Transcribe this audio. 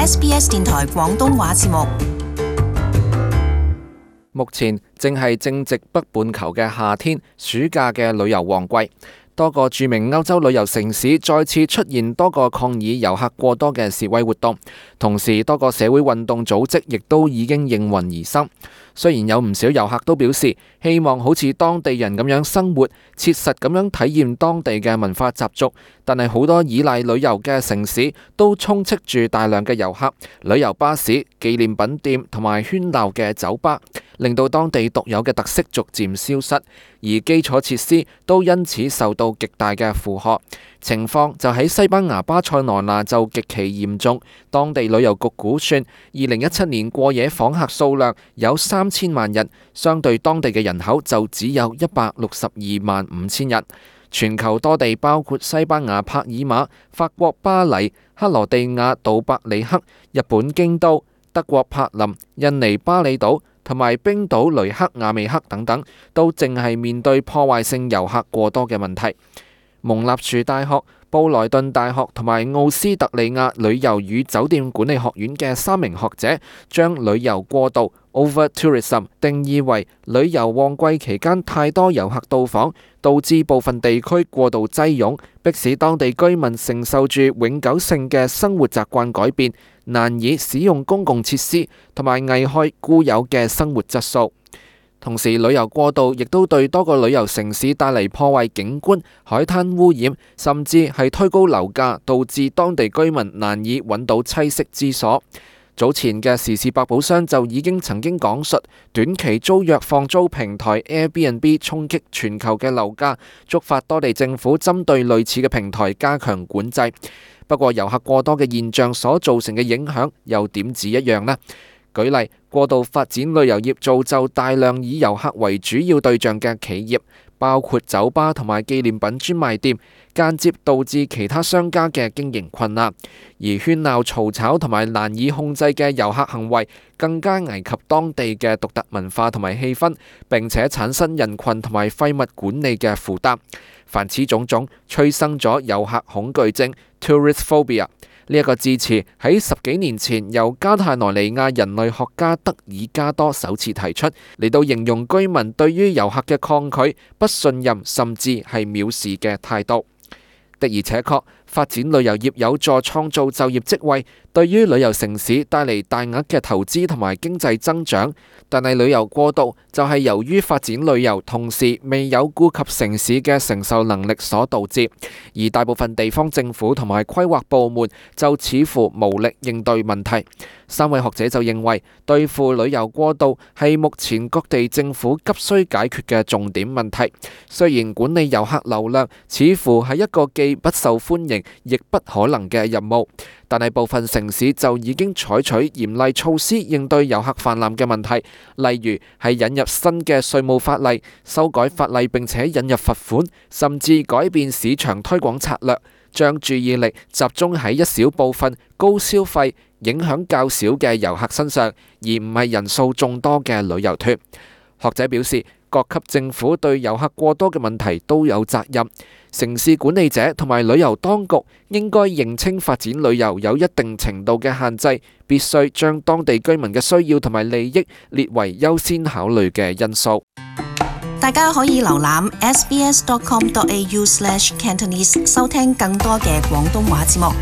SBS 電台廣東話節目。目前正係正值北半球嘅夏天，暑假嘅旅遊旺季。多個著名歐洲旅遊城市再次出現多個抗議遊客過多嘅示威活動，同時多個社會運動組織亦都已經應運而生。雖然有唔少遊客都表示希望好似當地人咁樣生活，切實咁樣體驗當地嘅文化習俗，但係好多依賴旅遊嘅城市都充斥住大量嘅遊客、旅遊巴士、紀念品店同埋喧鬧嘅酒吧，令到當地獨有嘅特色逐漸消失，而基礎設施都因此受到極大嘅負荷。情況就喺西班牙巴塞羅那就極其嚴重，當地旅遊局估算2017年過夜訪客數量有3000萬人，相對當地嘅人口就只有162萬5千人。全球多地包括西班牙帕爾馬、法國巴黎、克羅地亞杜伯里克、日本京都、德國柏林、印尼巴厘島同埋冰島雷克雅未克等等，都正係面對破壞性遊客過多嘅問題。蒙納殊大學、布萊頓大學同埋奧斯特利亞旅遊與酒店管理學院嘅3名學者將旅遊過度 （over-tourism） 定義為旅遊旺季期間太多遊客到訪，導致部分地區過度擠擁，迫使當地居民承受住永久性嘅生活習慣改變，難以使用公共設施，同埋危害固有嘅生活質素。同時，旅遊過度亦都對多個旅遊城市帶嚟破壞景觀、海灘污染，甚至係推高樓價，導致當地居民難以揾到棲息之所。早前嘅時事百寶箱就已經曾經講述短期租約放租平台 Airbnb 衝擊全球嘅樓價，觸發多地政府針對類似嘅平台加強管制。不過，遊客過多嘅現象所造成嘅影響又點止一樣呢？舉例，過度發展旅遊業造就大量以遊客為主要對象嘅企業，包括酒吧同埋紀念品專賣店，間接導致其他商家嘅經營困難。而喧鬧嘈吵同埋難以控制嘅遊客行為，更加危及當地嘅獨特文化同埋氣氛，並且產生人群同埋廢物管理嘅負擔。凡此種種，催生咗遊客恐懼症 （tourist phobia）。呢一個字詞喺10幾年前由加泰羅尼亞人類學家德爾加多首次提出，嚟到形容居民對於遊客嘅抗拒、不信任甚至係藐視嘅態度。的而且確，發展旅遊業有助創造就業職位，對於旅遊城市帶嚟大額嘅投資同埋經濟增長。但係旅遊過度就係由於發展旅遊同時未有顧及城市嘅承受能力所導致，而大部分地方政府同埋規劃部門就似乎無力應對問題。3位學者就認為，對付旅遊過度係目前各地政府急需解決嘅重點問題。雖然管理遊客流量似乎係一個既不受歡迎亦不可能嘅任務，但係部分城市就已經採取嚴厲措施應對遊客泛濫嘅問題，例如係引入新嘅稅務法例、修改法例並且引入罰款，甚至改變市場推廣策略，將注意力集中喺一小部分高消費、影響較少嘅遊客身上，而唔係人數眾多嘅旅遊團。學者表示，各級政府對遊客過多嘅問題都有責任，城市管理者同埋旅遊當局應該認清發展旅遊有一定程度嘅限制，必須將當地居民嘅需要同埋利益列為優先考慮嘅因素。大家可以瀏覽 sbs.com.au/cantonese 收聽更多嘅廣東話節目。